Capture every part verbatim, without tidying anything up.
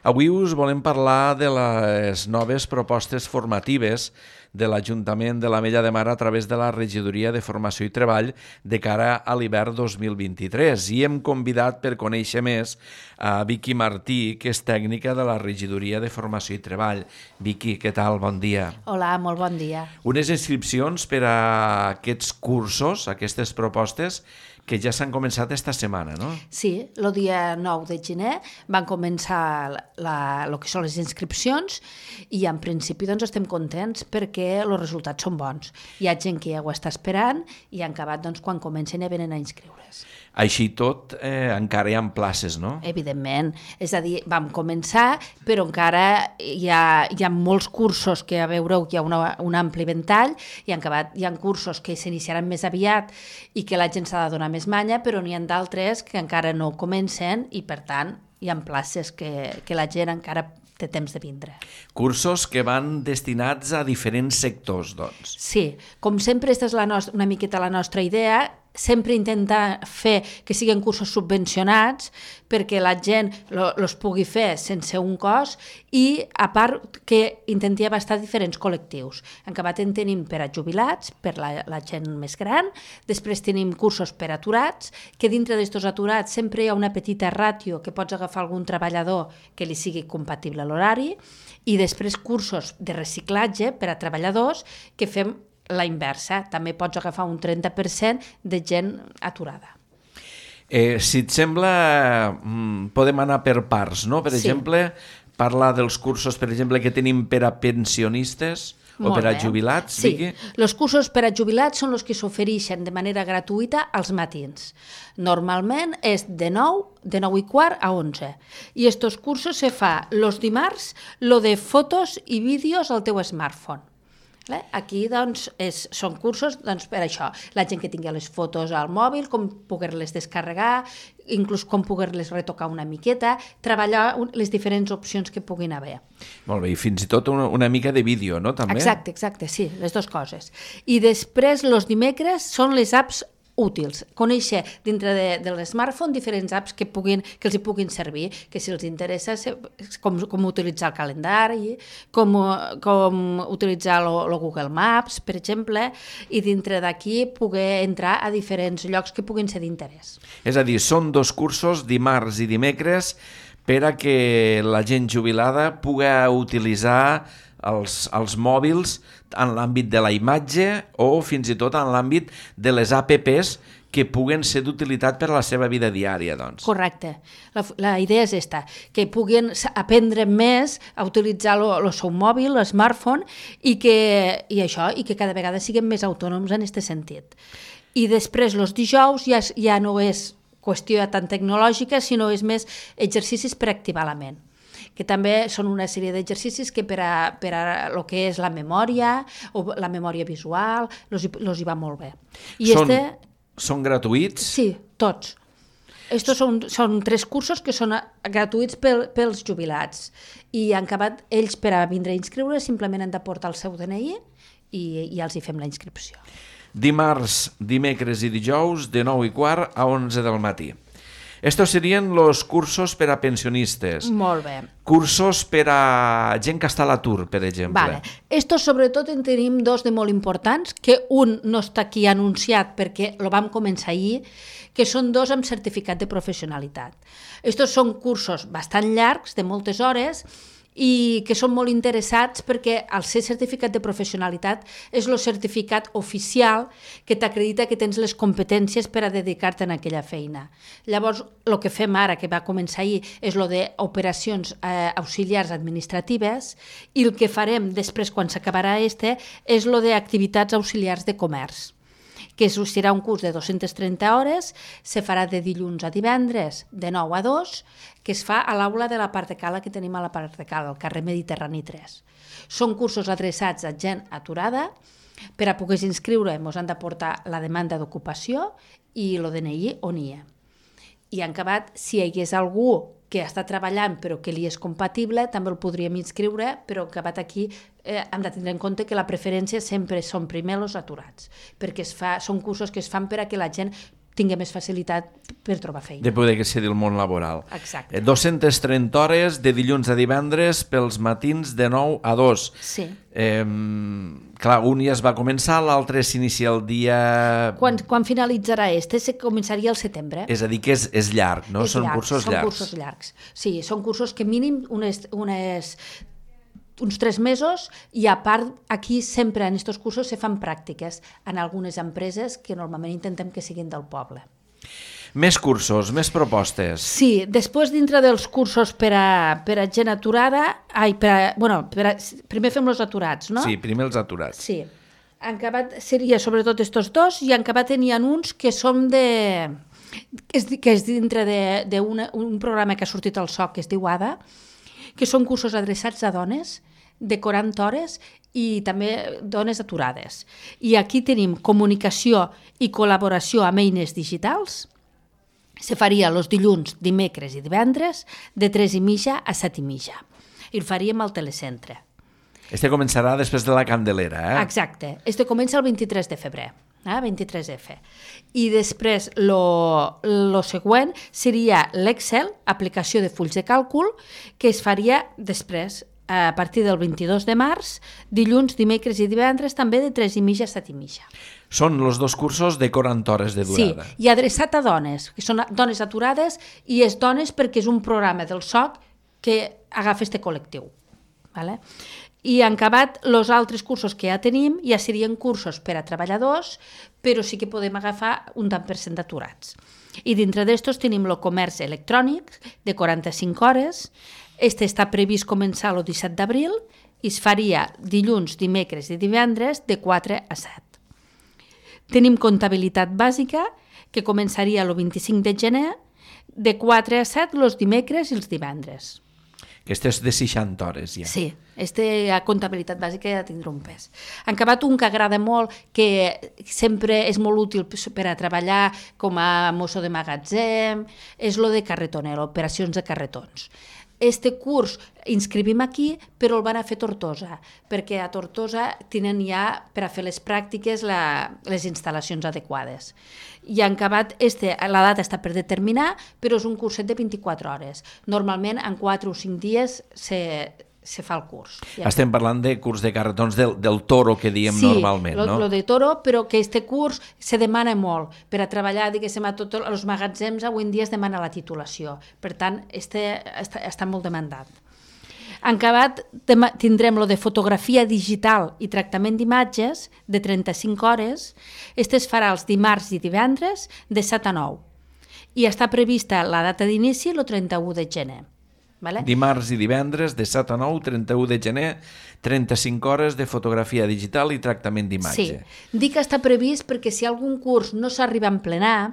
Avui us volem parlar de les noves propostes formatives de l'Ajuntament de l'Ametlla de Mar a través de la Regidoria de Formació i Treball de cara a l'hivern dos mil vint-i-tres i hem convidat per conèixer més a Vicky Martí, que és tècnica de la Regidoria de Formació i Treball. Vicky, què tal? Bon dia. Hola, molt bon dia. Unes inscripcions per a aquests cursos, aquestes propostes, que ja s'han començat esta setmana, no? Sí, el dia nou de gener van començar el que són les inscripcions i en principi doncs, estem contents perquè els resultats són bons. Hi ha gent que ja ho està esperant i han acabat doncs, quan comencen ja venen a inscriure's. Així tot, eh, encara hi ha places, no? Evidentment, és a dir, vam començar, però encara hi ha, hi ha molts cursos que, a veureu, hi ha una, un ampli ventall, i han acabat, hi ha cursos que s'iniciaran més aviat i que la gent s'ha de donar més manya, però n'hi ha d'altres que encara no comencen i, per tant, hi ha places que, que la gent encara té temps de vindre. Cursos que van destinats a diferents sectors, doncs. Sí, com sempre, aquesta és la nostra, una miqueta la nostra idea, sempre intentar fer que siguin cursos subvencionats perquè la gent els pugui fer sense un cost i, a part, que intentem abastar diferents col·lectius. En acabat en tenim per a jubilats, per la, la gent més gran, després tenim cursos per a aturats, que dintre d'estos aturats sempre hi ha una petita ràtio que pots agafar algun treballador que li sigui compatible a l'horari, i després cursos de reciclatge per a treballadors que fem la inversa, també pots agafar un trenta per cent de gent aturada. Eh, si et sembla, podem anar per parts, no? Per sí. exemple, parlar dels cursos, per exemple, que tenim per a pensionistes o Molt per a bé. jubilats, Sí, Vicky? els cursos per a jubilats són els que s'ofereixen de manera gratuïta als matins. Normalment és de nou, de nou i quart a onze. I estos cursos se fa els dimarts, lo de fotos i vídeos al teu smartphone. Aquí doncs, és, són cursos doncs, per això, la gent que tingui les fotos al mòbil, com poder-les descarregar, inclús com poder-les retocar una miqueta, treballar les diferents opcions que puguin haver. Molt bé, i fins i tot una, una mica de vídeo, no? També? Exacte, exacte, sí, les dues coses. I després, els dimecres, són les apps útils, conèixer dintre de, de l'smartphone diferents apps que, puguin, que els hi puguin servir, que si els interessa com, com utilitzar el calendari, com, com utilitzar el Google Maps, per exemple, i dintre d'aquí poder entrar a diferents llocs que puguin ser d'interès. És a dir, són dos cursos, dimarts i dimecres, per a que la gent jubilada pugui utilitzar els, els mòbils en l'àmbit de la imatge o fins i tot en l'àmbit de les apps que puguen ser d'utilitat per a la seva vida diària, doncs. Correcte. La, la idea és esta, que puguin aprendre més a utilitzar el seu mòbil, el smartphone, i que, i això, i que cada vegada siguin més autònoms en aquest sentit. I després, els dijous, ja, ja no és qüestió tan tecnològica, sinó és més exercicis per activar la ment, que també són una sèrie d'exercicis que per a, per a lo que és la memòria o la memòria visual els hi va molt bé. I són, este, són gratuïts? Sí, tots. Estos són, són tres cursos que són gratuïts pel, pels jubilats i han acabat ells per a vindre a inscriure simplement han de portar el seu D N I i, i els hi fem la inscripció. Dimarts, dimecres i dijous de nou i quart a onze del matí. Estos serien los cursos per a pensionistes. Molt bé. Cursos per a gent que està a l'atur, per exemple. Vale. Estos sobretot en tenim dos de molt importants, que un no està aquí anunciat perquè lo vam començar ahir, que són dos amb certificat de professionalitat. Estos són cursos bastant llargs, de moltes hores, i que són molt interessats perquè el ser certificat de professionalitat és el certificat oficial que t'acredita que tens les competències per a dedicar-te a aquella feina. Llavors, el que fem ara, que va començar ahir, és el d'operacions eh, auxiliars administratives i el que farem després, quan s'acabarà este, és el d'activitats auxiliars de comerç, que serà un curs de dues-centes trenta hores, se farà de dilluns a divendres, de nou a dos, que es fa a l'aula de la Part de Cala que tenim a la Part de Cala, al carrer Mediterrani tres. Són cursos adreçats a gent aturada. Per a poder inscriure ens han de portar la demanda d'ocupació i el D N I on hi ha. I en acabat, si hi hagués algú que està treballant però que li és compatible, també el podríem inscriure, però en acabat aquí eh, hem de tindre en compte que la preferència sempre són primer els aturats, perquè es fa, són cursos que es fan per a que la gent tingui més facilitat per trobar feina. De poder accedir al món laboral. Exacte. dues-centes trenta hores de dilluns a divendres pels matins de nou a dos. Sí. Eh, clar, un ja es va començar, l'altre s'inicia el dia... Quan, quan finalitzarà este? Se començaria al setembre. És a dir, que és, és llarg, no? És són llarg, cursos són llargs. cursos llargs. Sí, són cursos que mínim unes, unes, uns tres mesos i a part aquí sempre en aquests cursos se fan pràctiques en algunes empreses que normalment intentem que siguin del poble. Més cursos, més propostes. Sí, després dintre dels cursos per a, per a gent aturada, ai, per a, bueno, per a, primer fem els aturats, no? Sí, primer els aturats. Sí. En acabat seria sobretot estos dos i en acabat tenien uns que són de... que és, que és dintre d'un programa que ha sortit al S O C que es diu A D A, que són cursos adreçats a dones de quaranta hores i també dones aturades. I aquí tenim comunicació i col·laboració amb eines digitals. Se faria els dilluns, dimecres i divendres de tres i mitja a set i mitja. I ho faríem al telecentre. Este començarà després de la Candelera, eh? Exacte. Este comença el vint-i-tres de febrer, eh? vint-i-tres F. I després lo, lo següent seria l'Excel, aplicació de fulls de càlcul, que es faria després, a partir del vint-i-dos de març, dilluns, dimecres i divendres, també de tres i mitja a set i mitja. Són els dos cursos de quaranta hores de durada. Sí, i adreçat a dones, que són dones aturades, i és dones perquè és un programa del S O C que agafa este col·lectiu. Vale? I en acabat, els altres cursos que ja tenim ja serien cursos per a treballadors, però sí que podem agafar un tant per cent d'aturats. I dintre d'estos tenim el comerç electrònic de quaranta-cinc hores. Este està previst començar el disset d'abril i es faria dilluns, dimecres i divendres de quatre a set. Tenim comptabilitat bàsica, que començaria el vint-i-cinc de gener, de quatre a set els dimecres i els divendres. Aquesta és de seixanta hores, ja. Sí, este, la comptabilitat bàsica ja tindrà un pes. En acabat, un que agrada molt, que sempre és molt útil per a treballar com a mosso de magatzem, és lo de carretonero, operacions de carretons. Este curs inscrivim aquí, però el van a fer a Tortosa, perquè a Tortosa tenen ja per a fer les pràctiques la, les instal·lacions adequades. I en acabat, este, la data està per determinar, però és un curset de vint-i-quatre hores. Normalment, en quatre o cinc dies se, se fa el curs. Ja Estem parlant de curs de carretons del, del toro que diem sí, normalment, lo, no? Sí, el de toro, però que este curs se demana molt. Per a treballar, diguéssim, a tots els magatzems, avui en dia es demana la titulació. Per tant, este està, està molt demandat. En acabat, tindrem lo de fotografia digital i tractament d'imatges de trenta-cinc hores. Este es farà els dimarts i divendres de set a nou. I està prevista la data d'inici el trenta-u de gener. Vale? Dimarts i divendres de set a nou, trenta-u de gener, trenta-cinc hores de fotografia digital i tractament d'imatge. Sí, dic que està previst perquè si algun curs no s'arriba a emplenar,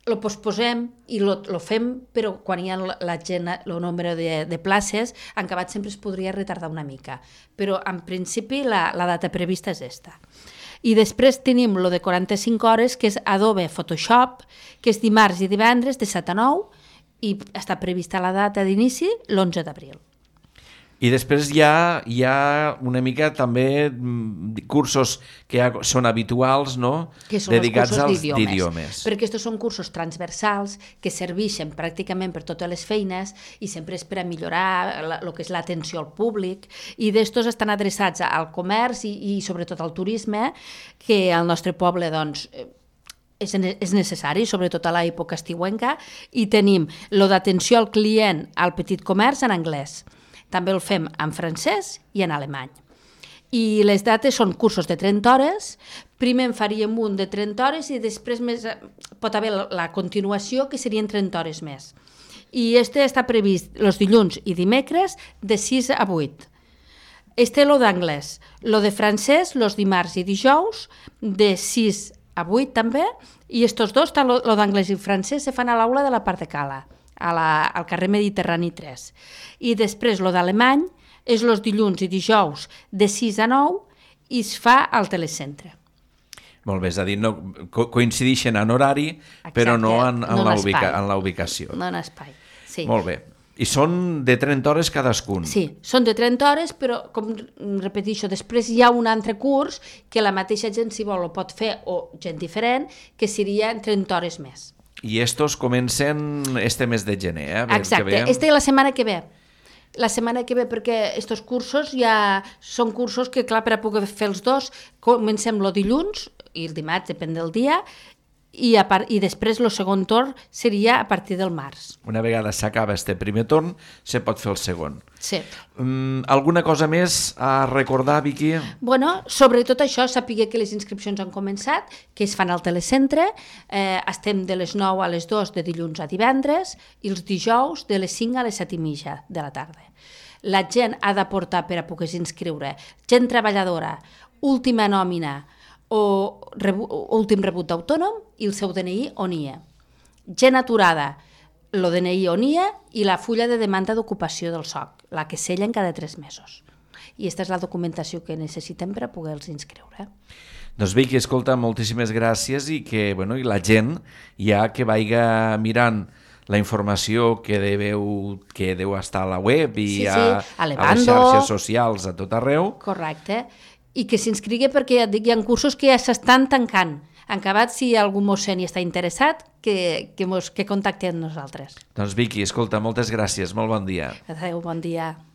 lo posposem i lo, lo fem, però quan hi ha la gent, el nombre de, de places, en acabat sempre es podria retardar una mica. Però en principi la, la data prevista és esta. I després tenim lo de quaranta-cinc hores, que és Adobe Photoshop, que és dimarts i divendres de set a nou, i està prevista la data d'inici l'onze d'abril. I després hi ha, hi ha una mica també cursos que ja són habituals, no? Que són dedicats els als cursos d'idiomes. Perquè aquests són cursos transversals que serveixen pràcticament per totes les feines i sempre és per a millorar el que és l'atenció al públic, i d'estos estan adreçats al comerç i, i sobretot al turisme, que al nostre poble doncs, és, és necessari, sobretot a l'època estiuenca, i tenim lo d'atenció al client al petit comerç en anglès. També el fem en francès i en alemany. I les dates són cursos de trenta hores, primer en faríem un de trenta hores i després més, pot haver la continuació que serien trenta hores més. I este està previst els dilluns i dimecres de sis a vuit. Este lo d'anglès, lo de francès los dimarts i dijous de sis a vuit també, i estos dos, tant lo d'anglès i francès, se fan a l'aula de la part de Cala, a la, al carrer Mediterrani tres. I després lo d'alemany és los dilluns i dijous de sis a nou i es fa al telecentre. Molt bé, és a dir, no, co coincideixen en horari, exacte, però no en, en, no la ubica, en la ubicació. No en espai, sí. Molt bé. I són de trenta hores cadascun? Sí, són de trenta hores, però, com repeteixo, després hi ha un altre curs que la mateixa gent, si vol, ho pot fer, o gent diferent, que seria trenta hores més. I estos comencen este mes de gener, eh? Exacte, este la setmana que ve. La setmana que ve, perquè estos cursos ja són cursos que, clar, per a poder fer els dos, comencem el dilluns, i el dimarts, depèn del dia, I, a part, i després el segon torn seria a partir del març. Una vegada s'acaba este primer torn, se pot fer el segon. Sí. Um, alguna cosa més a recordar, Vicky? Bueno, sobretot això, sapiguer que les inscripcions han començat, que es fan al telecentre, eh, estem de les nou a les dues de dilluns a divendres i els dijous de les cinc a les set i mitja de la tarda. La gent ha d'aportar per a poder inscriure gent treballadora, última nòmina, o rebu, últim rebut d'autònom i el seu D N I on hi ha. Gent aturada, el D N I on hi ha i la fulla de demanda d'ocupació del S O C, la que sellen cada tres mesos. I aquesta és la documentació que necessitem per a poder-los inscriure. Doncs Vicky, escolta, moltíssimes gràcies i que bueno, i la gent ja que vaiga mirant la informació que deveu, que deu estar a la web i sí, sí. a, a, a les xarxes socials a tot arreu. Correcte. I que s'inscrigui perquè ja dic, hi ha cursos que ja s'estan tancant. En acabat, si algú mossèn hi està interessat, que, que, mos, que contacti amb nosaltres. Doncs Vicky, escolta, moltes gràcies, molt bon dia. Adéu, bon dia.